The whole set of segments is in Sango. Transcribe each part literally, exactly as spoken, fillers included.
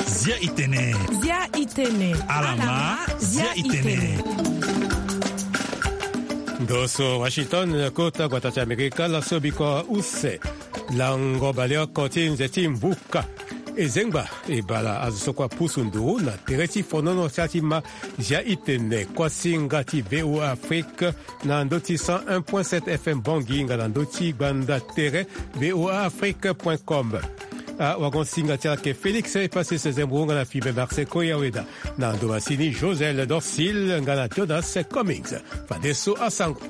Zia itene. Zia itene. Alama, zia itene. Ndo so Washington, kota gbata ti Amerika, laso biko use. Lango baleoko ti nze ti mbuka. E zengba e bala azo so kue apusu nduru na tere ti fonono ti a ti ma. Zia itene kuasinga ti V O A Afrique na ndö ti cent un point sept F M Bangui nga na ndö ti gbanda tere V O A Afrique point com. Awagosinga ti ala ke Félix Epasis Zembo nga na Fibe Marseille Koyaweda. Na ndo masini Josel Dorsil nga na Jonas Cummings. Fadeso asango.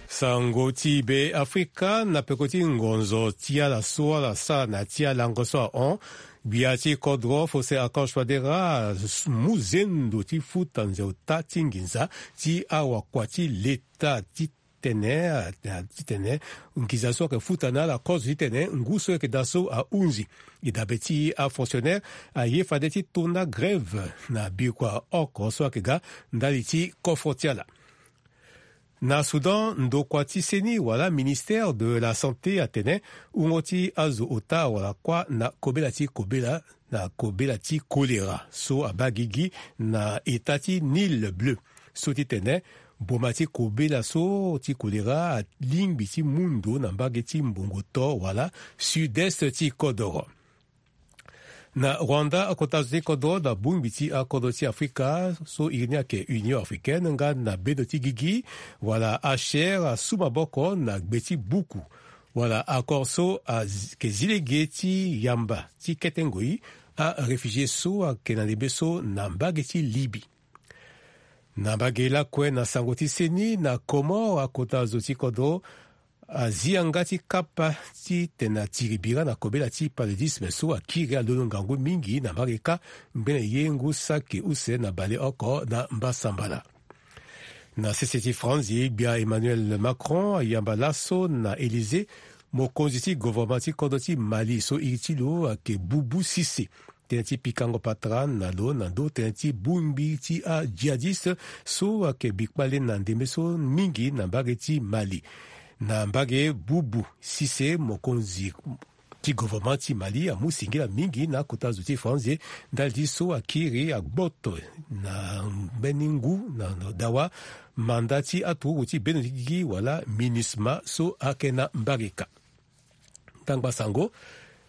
Sango ti Be Afrika na peko ti ngonzo ti ala so ala sara na ya ti alango so ahon. Gbia ti kodro Faustin Archange Touadéra amu zendo ti futa nze ota ti nginza ti awakua ti leta ti tene, a, a, titene nginza so ayeke futa na ala kozo titene ngu so ayeke daa so ahunzi. E dabe ti afonctionnaire aye fade ti tona grève na bikua oko so ayeke ga ndali ti kofo ti ala. Na Soudan, ndokua ti seni wala ministère de la santé atene wungo ti azo ota awara kuâ na kobela ti kobela, na kobela ti kolera so abaa gigi na eta ti Nil Bleu. So titene boma ti kobela so ti kolera alingbi ti mu ndo na mbage ti mbongo to wala sud-est ti kodoro. Na Rwanda, akota zo ti kodro na bongbi ti akodro ti Afrika so iri ni ayeke Union Africaine nga na bedo ti gigi wala H C R asu maboko na gbe ti buku wala accord so ayeke zi lege ti yamba ti kete ngoi aréfugié so ayeke na ndembe so na mbage ti Libye. Na mbage lakue na sango ti seni na Comores, akota zo ti kodro azi yanga ti kapa titene atiri bira na kobela ti paludisme so akiri alondo ngangu mingi na mbage kâ ngbene ye ngu saki use na baleoko na mbasambala. Na sese ti Franzi, gbia Emmanuel Macron ayamba laso na Élysée mokonzi ti gouvernement ti kodro ti Mali so iri ti lo ayeke Boubou Cissé. Tënë ti pikango patara na lo na ndö tënë ti bongbi ti ajihadiste so ayeke bi kpale na ndembe so mingi na mbage ti Mali. Na mbage Boubou Cissé, mokonzi ti gouvernement ti Mali amu singila mingi na akota zo ti Faranzi ndali ti so akiri agboto na mbeni ngu na dawa manda ti aturuku ti bendo ti gigi wala MINUSMA so ayeke na mbarika. Tangba sango.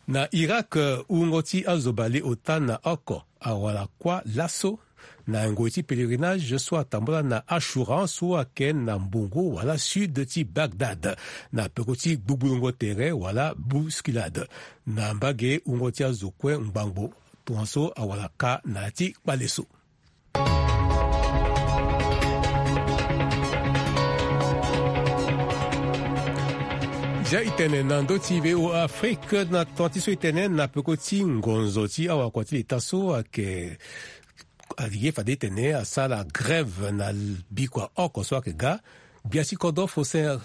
Na Irak, wungo ti azo baleota na oko awara kuâ laso na ngoi ti pèlerinage so atambula na Ashura so ayeke na mbongo wala sud ti Bagdad, na peko ti gbugbulongo tere wala bousculade. Na mbage wungo ti azo kue ngbangbo tongaso awara kâ na ya ti kpale so. Zia itene na ndö ti V O A Afrique na tonga ti so itene na peko ti ngonzo ti awakua ti leta so ayeke aye fade itene asara grève na bikua oko so ayeke ga. Gbia ti kodro Faustin,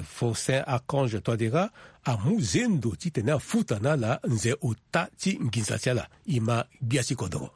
Faustin Archange Touadéra amu zendo titene afuta na ala nze ota ti nginza ti ala. E ma gbia ti kodro.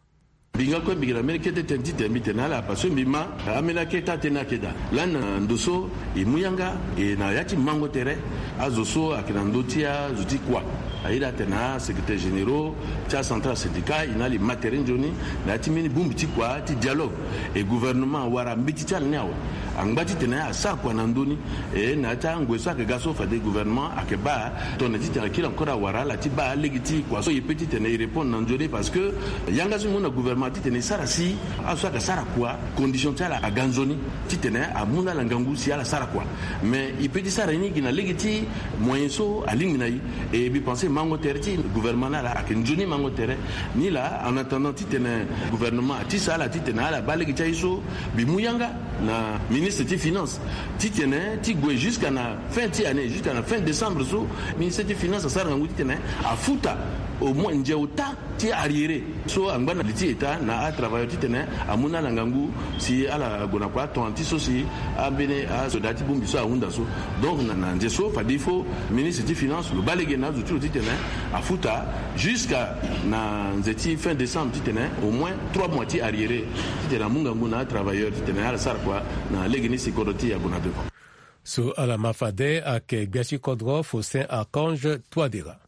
Mbi nga kue mbi yeke na mbeni kete tënë titene mbi tene na ala parce que mbi ma ambeni akete atënë ayeke daa. Lani na ndo so e mu yanga e na ya ti mango tere azo so ayeke na ndö ti azo ti kua. Aye daa atene asecrétaire généraux ti acentral syndicat e na ala e ma tere nzoni na ya ti mbeni bongbi ti kua ti dialogue. E gouvernement awara mbeti ti ala ni awe. Angba titene asara kua na ndö ni. E na ya ti angoi so ayeke ga so fade gouvernement ayeke baa tongana titene akiri encore awara ala ti baa lege ti kua so e peut titene e répondre na nzoni parce que yanga so e mu na gouvernement titene e sara si azo so ayeke sara kua condition ti ala aga nzoni titene amu na ala ngangu si ala sara kua. Mais e peut ti sara ni gi na lege ti moyen so alingbi na e. E mbi pense mango tere ti gouvernement na ala ayeke nzoni mango tere. Ni laa en attendant titene gouvernement atisa ala titene ala baa lege ti aye so mbi mu yanga na ministre ti finance titene ti gue jusqu'à na fin ti année, jusqu'à na fin décembre so ministre ti finance asara ngangu titene afuta au moins nze ota ti arriéré so angba na li ti état na atravailleur titene amu na ala ngangu si ala gue na kua tongana ti so si ambeni asoda ti bongbi so ahunda so. Donc na, na nze so fade il faut ministre ti finance lo baa lege na azo ti lo titene afuta jusqu'à na nze ti fin décembre titene au moins trois mois ti arriéré titene amu ngangu na atravailleur titene ala sara Wa na lege ni si kodro ti e ague na beko. So ala ma fade ayeke gbia ti kodro Faustin Archange Touadéra.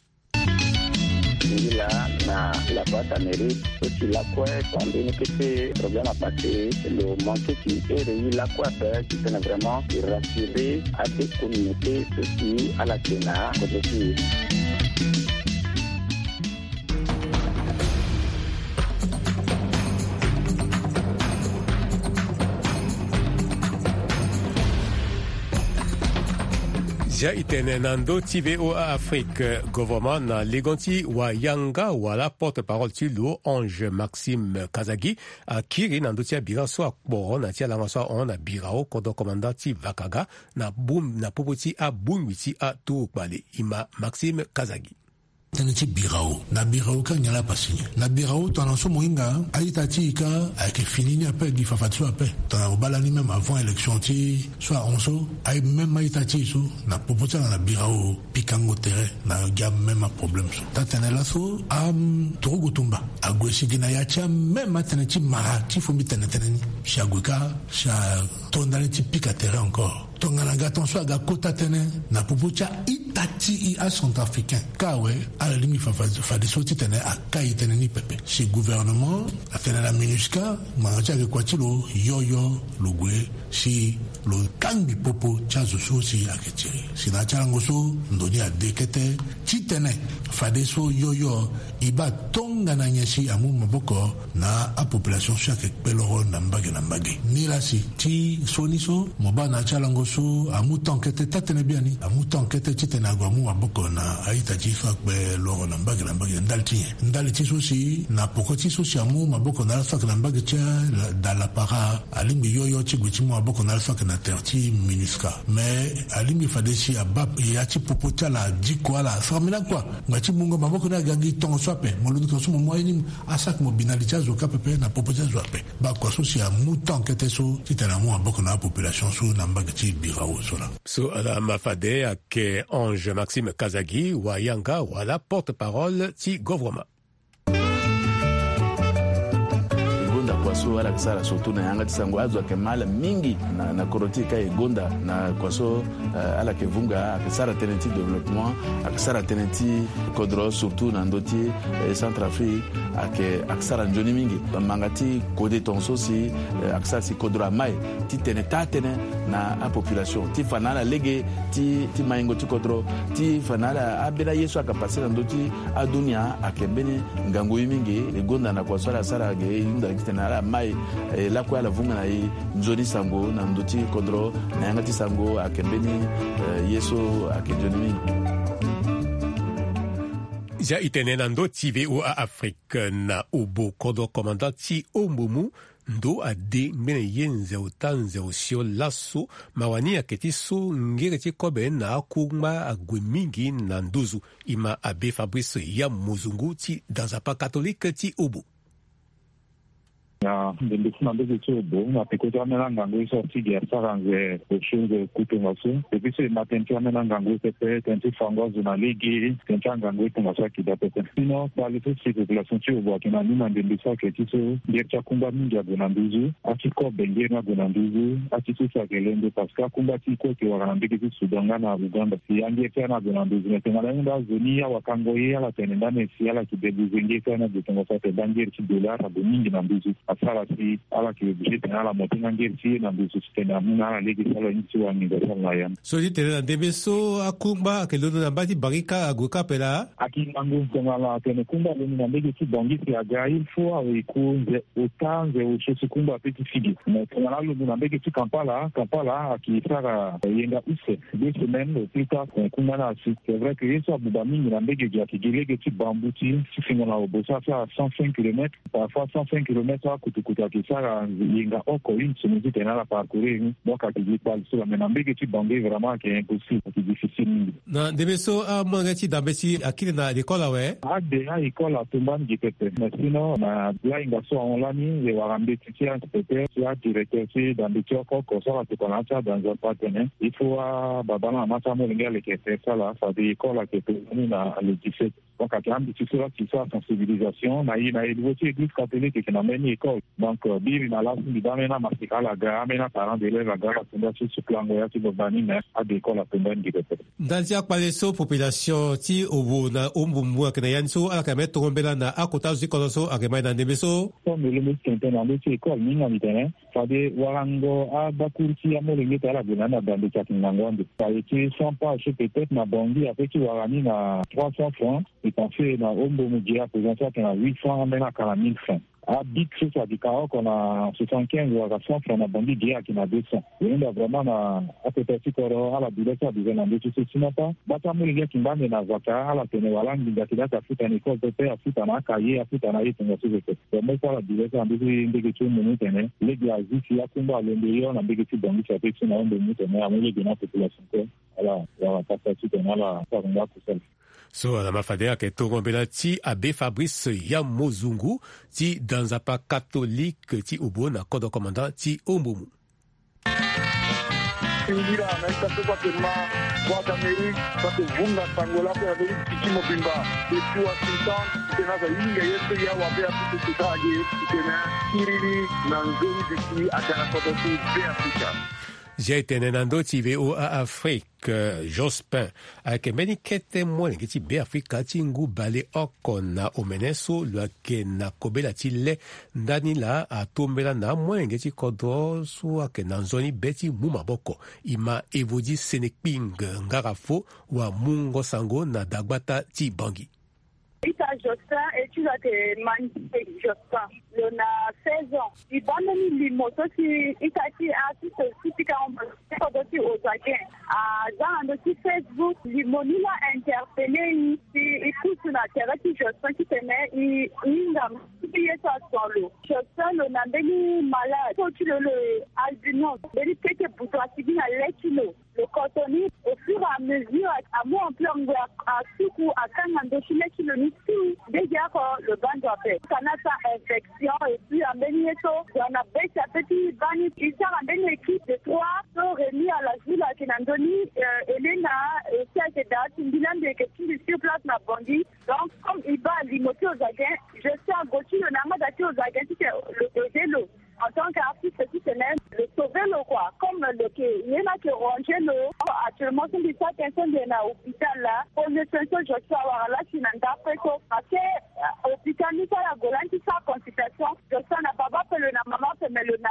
Ngi laa na la boîte à mairie so si lakue tonga mbeni kete problème à passer lo manqué ti ere ye lakue ape titene vraiment e rassurer ade communauté so si ala ke na kodro ti e. Zia e tene na ndö ti V O A Afrique, gouvernement na ligon ti wayanga wala porte-parole ti lo Ange Maxime Kazagi akiri na ndö ti abira so akporo na ti alanga so ahon na birao kodro commandant ti Vakaga na bum na popo ti abongbi ti aturukpale. E ma Maxime Kazagi. Tënë ti birao na birao ka nyen la pasi nyen na birao tongana so mo hinga a-ita ti e ka ayeke fini ni ape gi fafadeso ape. Tongana mo baa lani même avant élection ti so ahon so aye même a-ita ti e so na popo ti ala na birao pikango tere na gi amême aproblème so. Taa-tënë laso aturugu tumba ague si gi na ya ti amême atënë ti mara ti fo mbi tene tënë ni si ague ka si ato ndani ti pika tere encore. Tongana ga tongaso aga kota tënë na popo ti a-ita ti e acentrafricain ka awe ala lingbi fa- fa- fadeso titene akai tënë ni pepe si gouvernement atene na MINUSCA ngbanga ti ayeke kua ti lo yoyo lo gue si lo kangbi popo ti azo so si ayeke tiri si na ya ti alango so ndo ni ade kete titene fadeso yoyo e baa tongana nyen si amu maboko na apopulation so ayeke kpe loro na mbage na mbage. Nilaa si ti so ni so mo baa na ya ti alango so amu temps kete taa-tënë biani amu temps kete titene ague amu maboko na a-ita ti e so akpe loro na mbage na mbage ndali ti nyen ndali ti so si na poko ti so si amu maboko na ala so ayeke na mbage ti ala da lapara alingbi yoyo ti gue ti mu maboko na ala so ayeke na tere ti MINUSCA. Mais alingbi fade si abaa ya ti popo ti ala adiko ala asara mbeni akua ngbanga ti mungo maboko ni aga gi tongaso ape mo londo tongaso mo mu aye ni asara mo bi na li ti azo ka pepe na popo ti azo ape. Baa kua so si amu temps kete so titene amu maboko na apopulation so na mbage ti birao so laa. So ala ma fade ayeke Ange Maxime Kazagi wayanga wala porte-parole ti gouvernement. E gonda kua so ala yeke sara surtout na yanga ti sango azo ayeke ma ala mingi na, na kodro ti e ka e gonda na kua so, eh, ala yeke vunga ayeke sara tënë ti développement ayeke sara tënë ti kodro surtout na ndö ti, eh, Centrafrique ayeke ayeke sara nzoni mingi. Bamanga ti kode tongaso si, eh, ayeke sara si kodro amai ti tene taa-tënë na apopulation ti fa na ala lege ti, ti maingo ti kodro ti fa na ala ambeni aye so ayeke pase na ndö ti adunia ayeke mbeni ngangu ye mingi. E gonda na kua so ala sara ge e hunda titene ala mai, e lakue ala vunga na e nzoni sango na ndö ti kodro na yanga ti sango ayeke mbeni, eh, ye so ayeke nzoni mingi. Zia e tene na ndö ti V O A Afrique na obo kodro commandant ti Ombomu ndo ade ngbene ye nze ota nze osio laso. Mawa ni ayeke ti so ngere ti kobe na akungba ague mingi na nduzu. E ma abe Fabrice ya mozungu ti danzapa katolike ti obo. Na ndembe ti na mbege ti obo na peko ti ambeni angangu ye so asigi asara nze osio nze oku tongaso. Depuis so e ma tënë ti ambeni angangu ye pepe tënë ti fango azo na lege tënë ti angangu ye tongaso ayeke daa pepe. Sinon kpale so si population ti obo ayeke na ni na ndembe so ayeke ti so ngeri ti akungba mingi ague na nduzu. Ati kobe ngeri ni ague na nduzu. Ati so si ayeke lendo parce que akungba ti e kue ayeke wara na mbege ti Soudan nga na Ouganda. Si angeri ti ani ague na nduzu me tongana ye nda azo ni awakango ye ala tene ndani si ala yeke debuze ngeri ti ani ague tongaso atene nda ngeri ti dollar ague mingi na nduzu. Asara si ala yeke obligé tene ala monte nga ngeri ti ye na nduzu titene amu na ala lege ti ala nginza ti ala na ya ni. So ti tene na ndembe so akungba ayeke londo na mba ti Barika ague ka ape laa. Ayeke ngangu tongana atene kungba alondo na mbege ti Bangui si aga il faut awe e ku nze ota nze osio si kungba ape ti figi. Mais tongana alondo na mbege ti Kampala, Kampala ayeke sara yenga use deux semaines au plus tard, eh, kungba ni asi. C'est vrai que ye so abuba mingi na mbege gi ayeke gi lege ti bambu ti, ti fingo na obo so asara cent cinq kilomètres. Parfois cent cinq kilomètres akutukutu ayeke sara yenga oko une semaine titene ala parcourir ni. Donc ayeke gi kpale so la, mais na mbege ti Bangui vraiment ayeke impossible, ayeke difficile mingi. Na ndembe so amolenge ti dambe ti akiri na lekole awe? Ade a-école atumba ni gi pepe. Mais sinon na lahinga so ahon lani e wara mbeti ti a-inspecteur ti adirecteur ti dambe ti oko oko so ala tokua na ya ti adanza so atene il faut ababa na mama ti amolenge aleke tere ti ala fade école ayeke tumba ni na le dix-sept. Donc ayeke ambeti so la si so asensibilisation na e na e niveau ti église catholique ayeke na mbeni école. Donc biri na laso mbi baa ambeni amaseka ala ga, ambeni aparent d'élève aga ala tonda so sukulango ya ti gbagba ni me ade école atonda ni gi pepe. Ndali ti akpale so population ti obo na ombumu ayeke na ya ni so ala yeke me tongo mbela na akota azo ti kodro so ayeke mai na ndembe so. Comme lo mu tene tene na ndö ti école ni nga mbi tene fade warango abakuru ti amolenge ti ala gue na ni na bando ti ayeke ngangu ande. Aye ti cent pages so peut-être na bangi ape ti wara ni na trois cents francs. E pense na ombumu gi ape zan so ayeke na huit cents ambeni aka na mille francs. Abic so so adi ka oko na soixante-quinze wala cent francs na bangi gi ayeke na deux cents. E hunda vraiment na akota ti kodro ala bi le so abize na ndö ti so sinon pas bata molenge akimba ande na vaka ala tene wala nginza ti daka afuta na école pepe afuta na akaye afuta na ye tongaso pepe. Vraiment so ala bi le so na ndö ti ndege ti ombumu tene lege azi si akungba alondo yo na ndege ti bangi si ape ti na ombumu tene amu lege na population kue. Ala wala pasa ti tene ala sara nda kusala. So ala ma fade ayeke tongo mbela ti abe Fabrice ya mozungu ti danzapa katolike ti obo na kodro komanda ti ombumu. Singila na ita so kua te ma Voix d'Amérique sa te vunga sango lako ya beri titi mobimba. Depuis Washington tena sa yinga ye so ya wa be Afrique teta age tena kiriri na nzoni bisi atara koto ti be Afrika. Zia etene na ndö ti V O A Afrique. Jospin ayeke mbeni kete molenge ti Beafrika ti ngu baleoko na omene so lo yeke na kobela ti le ndani laa atombela na amolenge ti kodro so ayeke na nzoni be ti mu maboko. E ma Evodi Senekping ngara fo wa mungo sango na dagbata ti Bangi. Ita Jospin, étude ayeke Mandié Jospin, lo na seize ans. E baa mbeni limo so si ita ti artiste so si pika hon kodro ti Ozagen aza na ndö ti Facebook. Limo ni laa interpellé e si e pusu na tere ti Jospin titene e hinga mbeni ye so ason lo. Jospin lo na mbeni malade so ti lo lo albinos, mbeni kete butu asigi na le ti lo. Lo koto ni au fur et à mesure amu ampleur ngoi asuku akanga ndö ti le ti lo ni tout. Ndege oko lo baa ndo ape kana sa infection et puis ambeni ye so zo na be ti ape ti baa ni e sara mbeni équipe de trois so Rémi Alazula ayeke na ndö ni. Elena aussi ayeke daa ti mbi laa mbi yeke ti mbi sur place na Bangui. Donc comme e baa limo ti Ozagen, je suis ago ti lo na amada ti Ozagen titene lo aidé lo. En tant qu'artiste titene lo sauver lo quoi, comme lo yeke ye ni ayeke ranger lo. Actuellement so mbi sara tënë so mbi yeke na hôpital laa, premier soin so Jospin awara laa si na ndapre so parce que hôpital ni so ala gue lani ti sara consultation, Jospin na baba ape lo na mama ape me lo na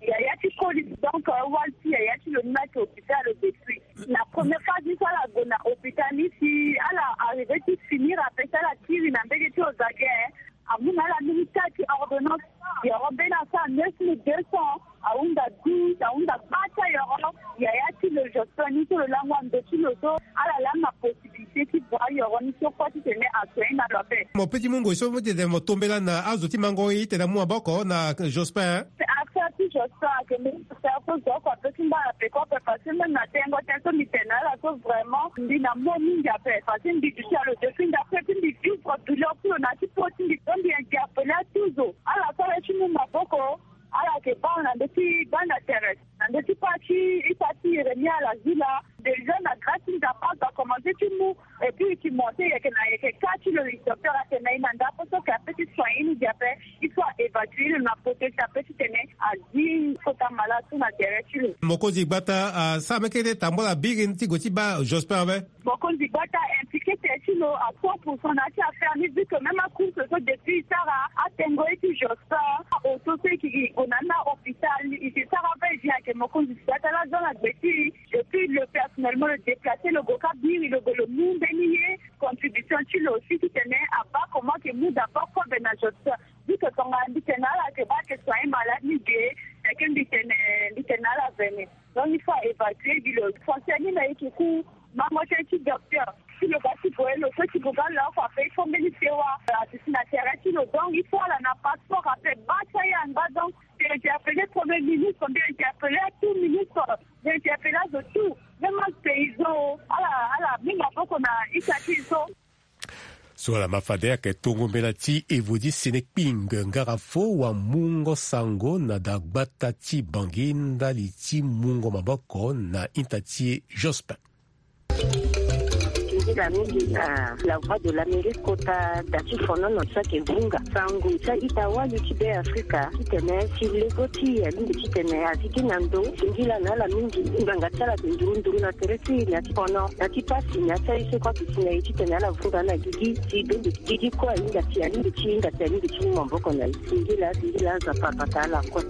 yaya ti koli. Donc wali ti yaya ti lo ni laa ayeke hôpital depuis. Na première phase ni so ala gue na hôpital ni si ala arrivé ti finir ape si ala kiri na mbege ti Ozagen. Amu na ala mbeni taa ti ordonnance. Yoro mbeni asara neuf mille deux cents, ahunda douze, ahunda gbata yoro. Yaya ti lo Jospin ni so lo lango ando ti lo so ala laa na possibilité ti bua yoro ni so kue titene asoin na lo ape. Mo pe ti mu ngoi so mo titene mo tombela na azo ti mango e titene amu maboko na Jospin. Affaire ti Jospin ayeke mbeni affaire so zo oko ape ti ngba na peko ape parce que même na tengo tënë so mbi tene na ala so vraiment mbi na mo mingi ape parce que mbi duti na lo depuis ndapre ti mbi vivre douleur ti lo na ti po ti mbi so mbi interpellé atuzo ala so ala ti mu maboko. Ala yeke baa na ndö ti gbanda tere na ndö ti pa ti ita ti Yeremia Lazila. Déjà na grâce ti Nzapa azo akomanse ti mu et puis e ti monté yeke na yeke ka ti lo. Docteur atene na e na ndako so yeke ape ti soin ye ni gi ape. Il faut a évacuer lo na protéger ape titene azi kota malade so na tere ti lo. Mokonzi gbata asara meke ti tambula biri ti gue ti baa Jospin awe. Mokonzi gbata impliqué tere ti lo à cent pour cent na ya ti affaire ni vu que même acourse so depuis e sara atengo ye ti Jospin oso so e yeke gue na ni na hôpital e yeke sara va et vient ayeke mokonzi gbata laa aza na gbe ti e. Et puis lo personnellement lo déplacé lo gue ka biri lo gue lo mu mbeni ye contribution ti lo aussi titene abaa comment ayeke mu d'abord kobe na Jospin. Vu que tongana mbi tene na ala ayeke baa ayeke soigner malade ni ge. Ayeke mbi tene mbi tene na ala vene. Donc il faut a évacuer gi lo. Français ni na e yeke ku mango tënë ti docteur. Si lo ga ti boye lo so ti gue ga lo oko ape il faut mbeni sewa aduti na tere ti lo. Donc il faut ala na passeport ape baa ti aye angba. Donc mbi interpellé premier ministre, mbi interpellé tout ministre, mbi interpellé azo tout, même apaysan ala ala mu maboko na ita ti e so. So ala ma fade ayeke tongo mbela ti Evodi Senekping ngara fo wa mungo sango na dagbata ti Bangi ndali ti mungo maboko na ita ti e Jospin. Mingi na la voix de l'Amérique kota da ti fonono ti saki vunga sango ti a-ita wali ti Be Afrika titene si lego ti e alingbi titene a zi gi na ndo. Singila na ala mingi. Ngbanga ti ala ayeke nduru nduru na tere ti e na ti fono na ti pasi na ya ti aye so kue ayeke si na e titene ala vunga na gigi si bembe gigi kue ahinga si alingbi ti hinga si alingbi ti mu maboko na e. Singila singila Nzapa abata ala kue.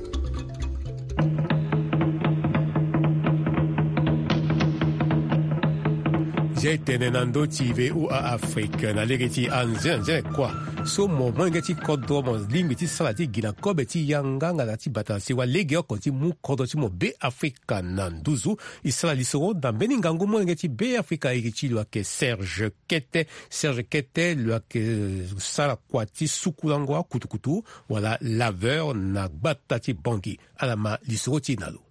Zia e tene na ndö ti V O A Afrique na lege ti anzenze kua so mo molenge ti kodro mo lingbi ti sara ti gi na kobe ti yanga nga na ti bata na sewa legeoko ti mu kodro ti mo Be Afrika na nduzu. E sara lisoro na mbeni ngangu molenge ti Be Afrika iri ti lo ayeke Serge Kete. Serge Kete lo ayeke sara kua ti sukulango akutukutu wala laveur na gbata ti Bangui. Ala ma lisoro ti e na lo.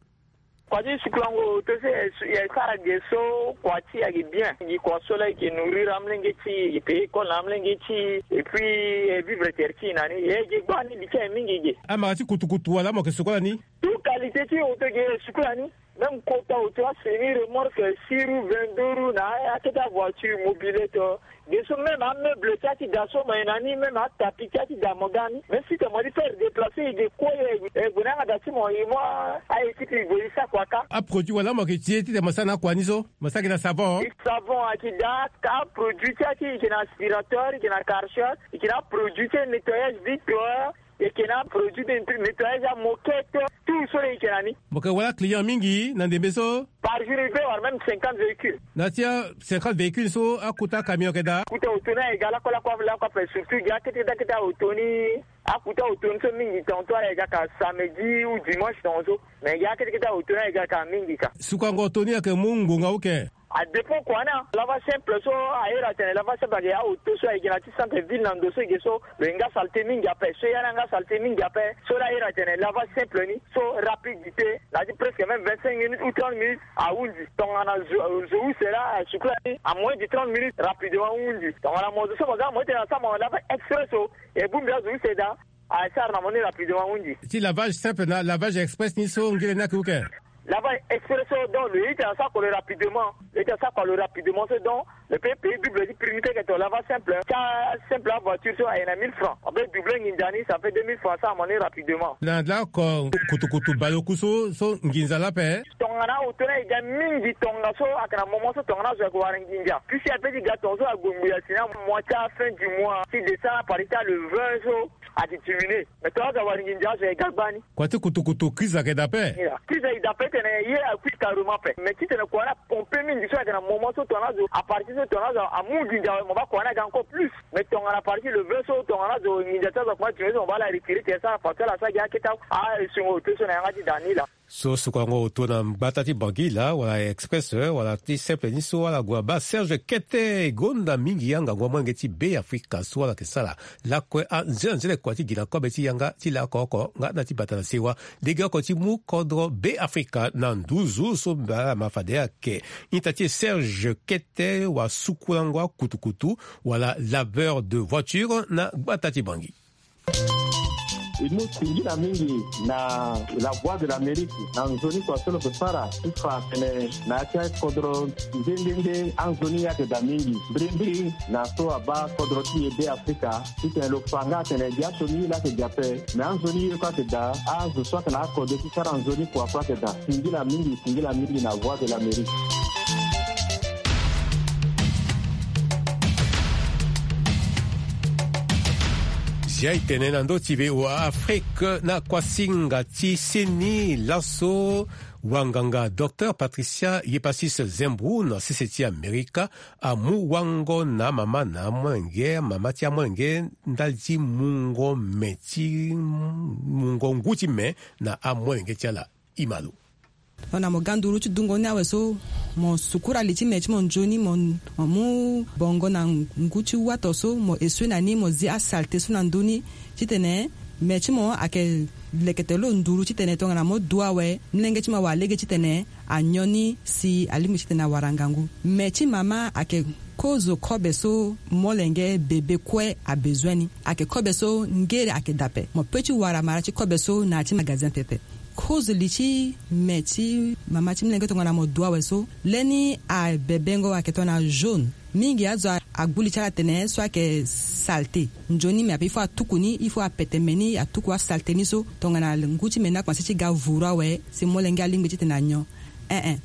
Kua ti sukulango oto so e sara ge so kua ti e ayeke bien. Gi kua so laa e yeke nourrir amolenge ti e, e paye école na amolenge ti e, et puis e vivre tere ti e na ni. E ge gbani li ti aye mingi ge. Amara ti kutukutu wala mo yeke suku ala ni? Tout qualité ti oto ge e suku ala ni. Même kota oto, asemi remorque, six roues, vingt-deux roues na akete avoiture, mobilette. Ge so même ameuble ti ati da so mo ye na ni, même atapi ti ati da mo ga ni. Mais si te mo di faire déplacer e ge kue, e gue na yanga da ti mo, e mo a-équipe e gue e sa kua ka. Aproduit wala mo yeke ti e ti te mo sara na akua ni so? Mo sara gi na savon? Savon ayeke daa, aproduit ti ati e yeke na aspirateur, e yeke na karcher, e yeke na aproduit ti nettoyage vitre, e yeke na aproduit de nettoyage amoquette, tout so laa e yeke na ni. Mo yeke wara client mingi na ndembe so? Par jour e peut wara même cinquante véhicules. Na ti a cinquante véhicules so akota camion ayeke daa? Kota oto ni ayeke ga lakue lakue lakue ape, surtout gi akete kete akete aoto ni. Akota oto ni so mingi tongaso ala yeke ga ka samedi ou dimanche tongaso. Mais gi akete kete aoto ni ayeke ga ka mingi ka. Sukango oto ni ayeke mu ngonga uke? Adépend kua ni. Lavage simple so, a iri atene lavage simple ayeke aoto so ayeke na ti centre ville na ndo so e ge so lo ye nga saleté mingi ape. So e ya ni anga saleté mingi ape, so laa a iri atene lavage simple ni so rapidité na ya ti presque même vingt-cinq minutes ou trente minutes ahunzi. Tongana zo, zo use laa asuku lani, en moins de trente minutes rapidement ahunzi. Tongana mo zo so mo za mo ye tene na sa mo lavage express so, e bongbi azo use daa. Asara na mo ni rapidement ahunzi. Ti lavage simple na lavage express ni so ngere ni ayeke uke? Lavage express so, donc lo ye ti asara kua lo rapidement. Lo ye ti asara kua lo rapidement so, donc lo peut payer double ti prix ni. Peut ke to lavage simple, ti asimple avoiture so aye na mille francs, on peut doubler nginza ni, ça fait deux mille francs, asara mo ni rapidement. Na lako kutukutu baleoku so, so nginza laa ape? Tongana oto ni aye ga mingi tongaso, ayeke na moment so tongana azo ayeke wara nginza. Puisque ape ti ga tongaso ague ngbii asi na mois ti afin du mois ti décembre, à partir ti le vingt so, ayeke diminuer. Mais tongana azo awara nginza, azo aye ga gbani. Kua ti kutukutu crise ayeke daa ape? Crise ayeke daa ape titene ye akui carrément ape. Mais titene kua ni apompe mingi so ayeke na moment so tongana azo, à partir so tongana azo amu nginza awe, mo baa kua ni aga encore plus. Mais tongana à partir le vingt so tongana azo nginza ti azo akoma diminuer so, mo baa ala retirer tene asara facture, ala sara gi akete a, a, esengo oto so na yanga ti da ni laa. So sukango oto na gbata ti Bangui laa, wala express, eh, wala ti simple ni so ala gue abaa Serge Kete, gonda mingi yanga ngu amolenge ti Be Afrika so ala yeke sara lakue anzenanzene kua ti gi na kobe ti yanga ti lako oko nga na ti bata na sewa. Legeoko ti mu kodro Be Afrika na nduzu so mbi ala ma fade ayeke ita ti e Serge Kete, wasukulango akutukutu wala laveur de voiture na gbata ti Bangui. E mu singila mingi na La Voix de l'Amérique na nzoni kua so lo yeke sara ti fa atene na ya ti akodro nde nde nde anzoni ye ayeke daa mingi mbirimbiri na so abaa kodro ti e Be Afrika, titene lo fa nga atene gi asioni ye laa ayeke gi ape, me anzoni ye kue ayeke daa, azo so ayeke na akode ti sara nzoni kua kue ayeke daa. Singila mingi, singila mingi na Voix de l'Amérique. Zia e tene na ndö ti V O A Afrique na kuasinga ti seni laso wanganga docteur Patricia Yepasis Zembrou na sese ti Amerika amu wango na amama na amolenge, mama ti amolenge ndali ti mungo me ti mungo ngu ti me na amolenge ti ala. Ima lo. Tongana mo ga nduru ti dungo ni awe so, mo sukura li ti me ti mo nzoni, mo, mo mu bongo na ngu ti wato so, mo esue na ni, mo zi asalte so na ndö ni, titene me ti mo ayeke lekete lo nduru titene tongana mo du awe, mlenge ti mo awara lege titene anyon ni si alingbi titene awara ngangu. Me ti mama ayeke kozo kobe so molenge bebe kue abezoin ni. Ayeke kobe so ngere ayeke daa ape. Mo peut ti wara mara ti kobe so na ya ti magasin pepe. Kozo li ti me ti mama ti mlenge tongana mo du awe so, leni abebengo ayeke tongana jaune. Mingi azo agbu li ti ala tene so ayeke salte. Nzoni me ape il faut atuku ni, il faut apete me ni, atuku asalte ni so. Tongana ngu ti me ni akomanse ti ga vuru awe, si molenge alingbi titene anyon. Ee, ee.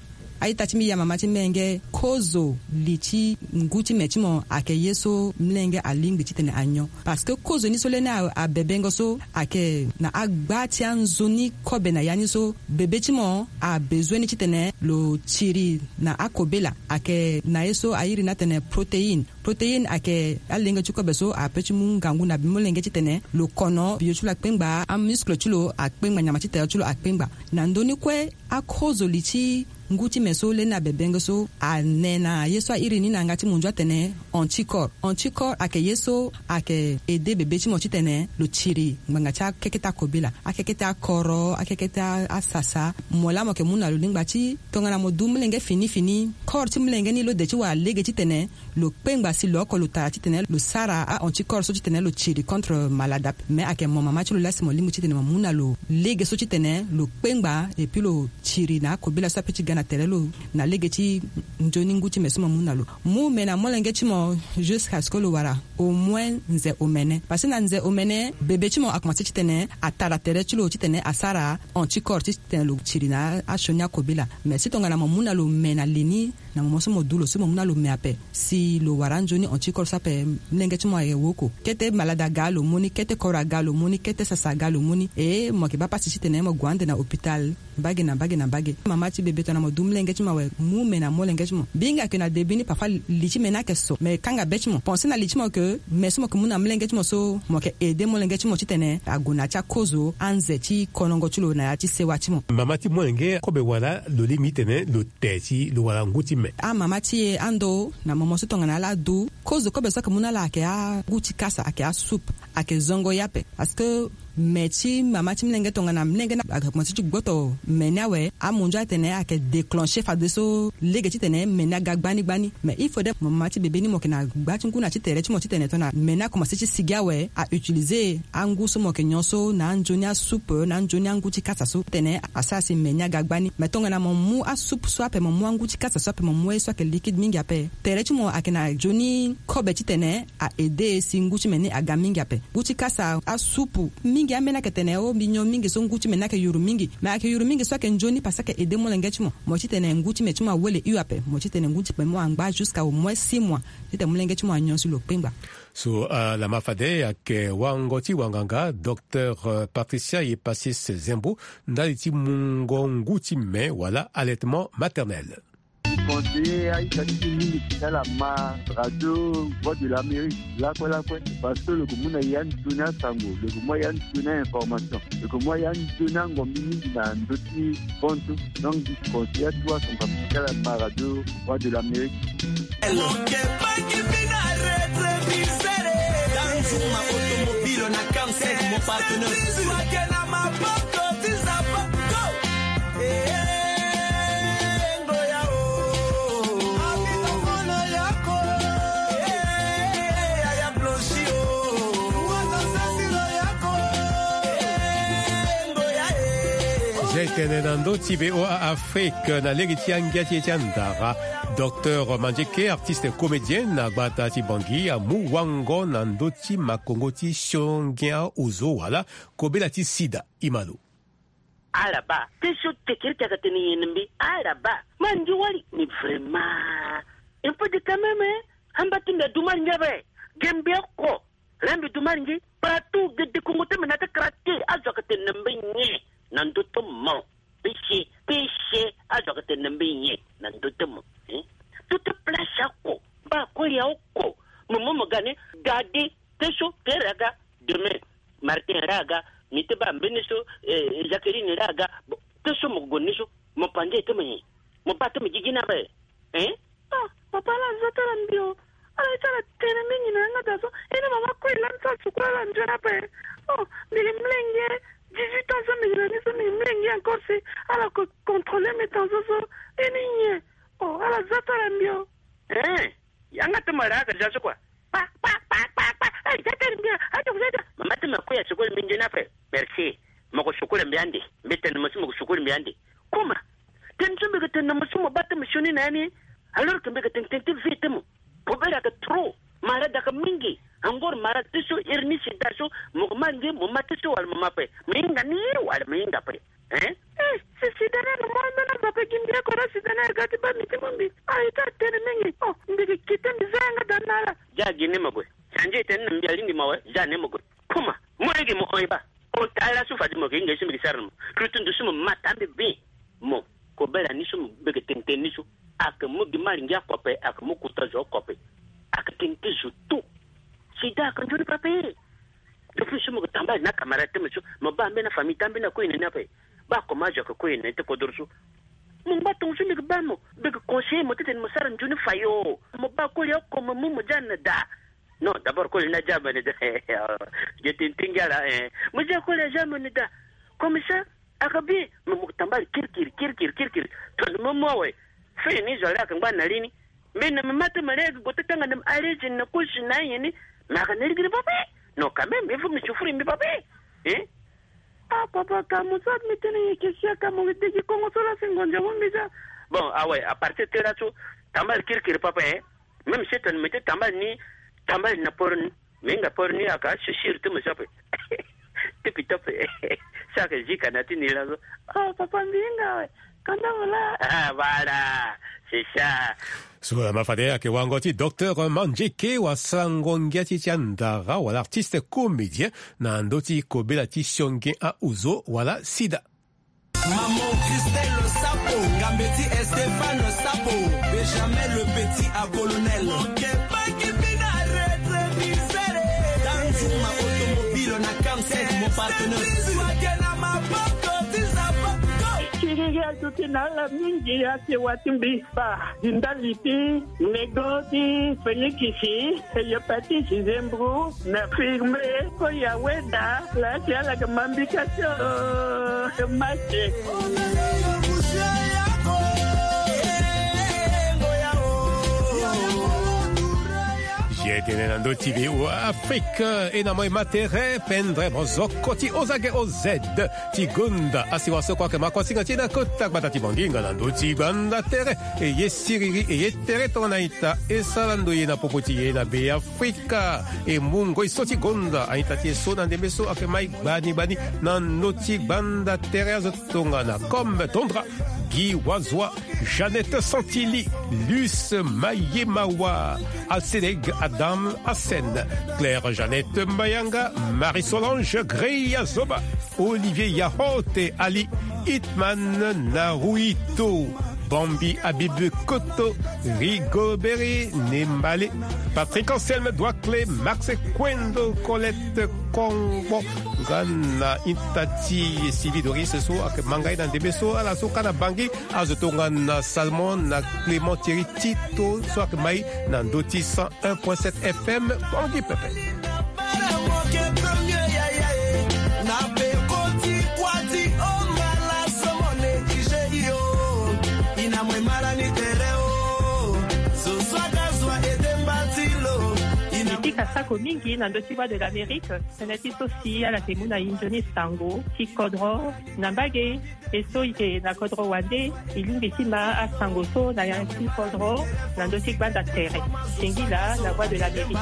Aita ti mbi ya mama ti mlenge, kozo li ti ngu ti me ti mo ayeke ye so mlenge alingbi titene anyon. Parce que kozo ni so leni a- abebengo so ayeke na agba ti anzoni kobe na ya ni so, bebe ti mo abezoin ni titene lo tiri na akobela. Ayeke na ye so airi ni atene protéine. Protéine ayeke alenge ti kobe so ape ti mu ngangu na molenge titene lo kono bio ti lo akpengba, amuscle ti lo akpengba, nyama ti tere ti lo akpengba. Na ndö ni kue, akozo li ti ngu ti me so leni abebenge so ane na ye so airi ni na yanga ti munzu atene anticorps. Anticorps ayeke ye so ayeke aide bebe ti mo titene lo tiri ngbanga ti akeke ti akobela, akeke ti akoro, akeke ti a- asasa. Mo laa mo yeke mu na lo lingba ti tongana mo du molenge fini fini, corps ti molenge ni lo de ti wara lege titene lo kpengba si lo oko lo tara titene lo sara a-anticorps so titene lo tiri contre malade ape. Me ayeke mo mama ti lo laa si mo lingbi titene mo mu na lo lege so titene lo kpengba, et puis lo tiri na akobela so ape ti ga na tere lo na lege ti nzoni ngu ti me so mo mu na lo. Mu me na molenge ti mo jusqu'à ce que lo wara au moins nze omene. Parce que na nze omene, bebe ti mo akomanse titene atara tere ti lo titene asara anticorps titene lo tiri na asioni akobela. Mais si tongana mo mu na lo me na li ni, na mo mo so mo du lo so mo mu na lo me ape, si lo wara anzoni anticorps so ape, molenge ti mo aye woko. Kete malade aga lo mu ni, kete koro aga lo mu ni, kete sasa aga lo mu ni. E mo yeke baa pasi titene mo gue ande na hôpital mbage na mbage na mbage. Mama ti bebe tongana mo du molenge ti mo awe, mu me na molenge ti mo. Mbi hinga ke na début ni parfois li ti me ni ayeke so, me kanga be ti mo. Pensé na li ti mo ke me so mo yeke mu na molenge ti mo so, mo yeke aidé molenge ti mo titene ague na ya ti akozo anze ti konongo ti lo na ya ti sewa ti mo. Mama ti molenge, kobe wala lo lingbi titene lo te si lo wara ngu ti me? Amama ti e, ando, na momo so tongana ala du, kozo kobe so ayeke mu na ala ayeke angu ti kasa, ayeke asoupe, ayeke zongo ye ape. Parce que me ti mama ti molenge, tongana molenge ni akomanse ti gboto me ni awe, amunzu atene ayeke déclenché fadeso lege titene me ni aga gbani gbani. Mais il faudrait mo mama ti bebe ni mo yeke na gba ti ngu na ti tere ti mo titene tongana me ni akomanse ti sigi awe, a utiliser angu so mo yeke nyon so na anzoni asoupe, na anzoni angu ti kasa so titene asara si me ni aga gbani. Mais tongana mo mu asoupe so ape, mo mu angu ti kasa so ape, mo mu ye so ayeke liquide mingi ape, tere ti mo ayeke na nzoni kobe titene a aidé si ngu ti me ni aga mingi ape. Ngu ti kasa, asupu mingi, ambeni ayeke tene o mbi nyon mingi so ngu ti me ni ayeke yuru mingi. Me ayeke yuru mingi so ayeke nzoni parce que ayeke aidé molenge ti mo. Mo titene ngu ti me ti mo awele hio ape. Mo titene ngu ti me mo angba jusqu'à au moins six mois titene molenge ti mo anyon si lo kpengba. So, ah, lama fade ayeke wango ti wanganga, docteur, euh, Patricia Yepasis Zembo, ndali ti mungo ngu ti me wala allaitement maternel. Conseiller aita ti mbi mingi ti ala ma radio Voix de l'Amérique lakue lakue, parce que lo yeke mu na ya nzoni asango, lo yeke mu ya nzoni a-information, lo yeke mu ya nzoni angombi mingi na ndö ti bantu. Donc mbi conseiller atu asango ti ala ma radio Voix de l'Amérique. Mon ke bangi mbi na rétroviseur. Danzuma automobile na quarante-cinq, mon partenaire. Ke na maboko ti Zapato. Zia etene na ndö ti V O A Afrique na lege ti angia ti e ti andara. Docteur Mandieke, artiste comédien na gbata ti Bangui, amu wango na ndö ti makongo ti siongia ozo wala kobela ti sida. Imalo. Ala baa, te so tekiri ti ayeke tene nyen na mbi? Ala baa, ma ndi wali. Mais vraiment, il faut dire quand même, hein? Amba ti mbi adu malingi ape. Ge mbi oko. Laa mbi du malingi. Partout, gede kongo ti mbi na ti kara te, azo ayeke tene na mbi nyen na ndö ti mo? Pese, pese, azo ayeke tene na mbi nyen na ndö ti mo? Hein? Tout place oko, mba kue ya oko. Mo mo mo ga ni, ga de, te so, te raga, demain. Martin raga, mi te baa mbeni so, eh, Jacqueline raga. Bon, te so mo gue ni so, mo panze te mo nyen? Mo baa te mo gigi ni ape. Hein? Ah, papa, ala za ti ala mbi o. Ala ye ti ala tene mingi na yanga daa so. E ni mama kue lani so ala sukula ala nzoni ape. Oh, mbi yeke molenge dix-huit ans so mbi yeke na ni so, mbi yeke molenge encore si ala ko contrôler mbi tension so. E ni nyen? Oh, ala za ti ala mbi o. Eh, yanga ti mo ra aga ja so kua. Pa, pa, pa, pa, pa. Eh, ja ti ala mbi o. Aja, aja. Mama ti mo kue asukula mbi nzoni ape. Merci. Mo ko sukula mbi ande. Mbi tene mo si mo ko sukula mbi ande. Comment? Tene so mbi yeke tene na mo so mo baa ti mo sioni na ya ni. Alors que mbi yeke tene tene ti vie ti mo. Kobela ayeke trop. Malade ayeke mingi. Angor malade ti so, iri ni sida so, mo ke ma nge mo ma ti so wala mo ma pe? Mo hinga ni wala mo hinga pe? Hein? Eh, si sida ni ayeke mo ambeni amba pe, gi mbi oko na sida ni ayeke ga ti baa mbi ti mu mbi. Ah, ita tene mingi. Oh, mbi ke kite mbi za yanga daa na ala. Ja gi ni mo gue. Sanje tene na mbi alingbi mo awe, ja ni mo gue. Kuma mo lege mo hon e baa. Ota ala so fade mo yeke hinga ye so mbi ke sara na mo. Plutu ndusu mo ma taa mbi bien. Mo, kobela ni so mo beke tene tene ni so, ayeke mu gi mal ngia kope, ayeke mu kuta zo kope. Ayeke tene ti zo tout. Sida ayeke nzoni pape. Depuis so mo yeke tambala na camarade ti mo so, mo baa ambeni afamille ti ambeni akue na ni ape. Baa comment azo ayeke kue na ni ti kodoro so. Mo ngba tongo so mbi yeke baa mo, mbi yeke conseiller mo titene mo sara nzoni fayo. Mo baa koli oko mo mu mo ja na daa. Non, d'abord koli ni aja mo na daa. Ge tene ti ngia laa, eh. Mo ja koli aja mo na daa. Comme ça, ayeke bien. Me mo yeke tambala kirikiri kirikiri kirikiri. Tongana mo mu awe, fini zo ale ayeke ngba na li ni. Mbi na me ma ti me lege gue ti tanga na me arrêté na kosi na ayen ni. Me ayeke na ligiri pape. Non, quand même il faut me souffrir mbi pape. Hein? Ah papa, ka mo so ade mbi tene nyen? Ke sia ka mo degi kongo so laa si ngonza mo mbi za. Bon, awe, à partir ti laso, tambala kirikiri papa, hein. Même si tene mbi ti tambala ni, tambala na poro ni. Me hinga poro ni aka sisiri ti mo so ape. Ti pito ape. So ayeke zika na ti ni laso. Oh papa, mbi hinga awe. Kanda mo laa. Ah, voilà. C'est ça. So ma fade ayeke wango ti docteur Manjeke wa sango ngia ti ti andara wala artiste comédien na ndö ti kobela ti sionge ahuzo wala sida. Maman Christelle Sapo, Gambeti Stéphane Sapo, Benjamin le petit à colonel. Tanzuma automobile na Camsec, mon partenaire. Siriri aduti na ala mingi, asewa ti mbi. Ba di ndali ti lego ti Félix, hépatite, zembro na firme. Ko ya weda la ti ala ke mambika ti o make. Ye tene na ndö ti V O A Afrique, e na mo e ma tere pendre mozoko ti ozage oz ti gonda asiwa so kue ayeke ma kuasinga ti e na kota gbata ti Bangui nga na ndö ti gbanda tere. E ye siriri e ye tere tongana ita e sara ndo ye na popo ti e na Be Afrika. E mu ngoi so ti gonda a-ita ti e so na ndembe so ayeke mai gbani gbani na ndö ti gbanda tere azo tongana Comme Tondra, Guy Wazwa, Jeannette Santili, Luce Mayemawa, Alcedeg Adam Hassen, Claire Jeannette Mayanga, Marie-Solange Greya Zoba, Olivier Yahote Ali, Hitman Naruhito, Bambi Habib Koto, Rigobert Nembale, Patrick Anselme Douakle, Max Kwendo, Colette Kongbo, nga na ita ti Sylvie Doris so ayeke ma ngai na ndembe so ala so kâ na Bangui, azo tongana Salmon na Clément Thierry Tito so ayeke mai na ndö ti cent un point sept F M Bangui pepe. Mbi pika sako mingi na ndö ti Voix de l'Amérique. Tënë ti so si ala yeke mu na e nzoni sango ti kodro na mbage. E so e yeke na kodro wande, e lingbi ti ma asango so na yanga ti kodro na ndö ti gbanda tere. Singila na Voix de l'Amérique.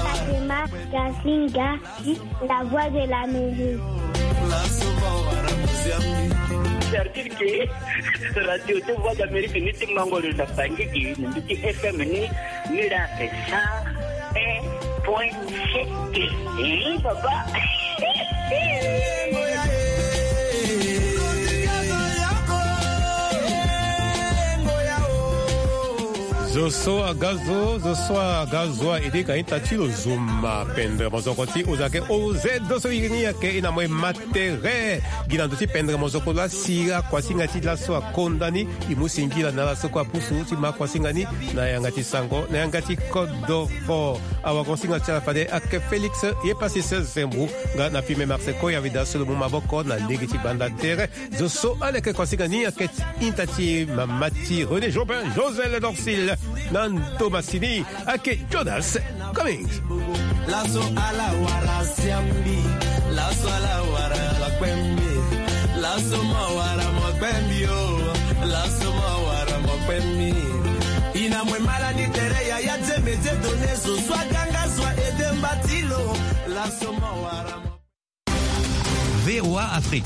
Fatima Gasinga, la Voix de l'Amérique. C'est-à-dire que radio ti Voix d'Amérique ni ti mango lo na Bangui, ni ti F M ni, ni la fait ça. Un point sept. Eh, papa. Zo so aga zo, zo so aga zo a ede ka ita ti lo zo ma pendre mozoko ti oz ake oz so iri ni ayeke e na mo e ma tere. Gi na ndö ti pendre mozoko laa si akuasinga ti laso akonda ni, e mu singila na ala so kue apusu ti ma akuasinga ni na yanga ti sango, na yanga ti kodoro. Awagosinga ti ala fade ayeke Félix Yepasis Zembou, nga na filme Marseille Koya Vida so lo mu maboko na lege ti gbanda tere. Zo so ala yeke kuasinga ni ayeke ti ita ti mama ti René Jobin, Josel Dorsil, na ndo masini ayeke Jonas Cummings. Laso ala wara siambi, laso ala wara makpembi, laso ma wara makpembi o, laso ma Malani tere ya ya dze medze done zo swa ganga zwa ede mbatilo. La soma wara. V O A Afrique.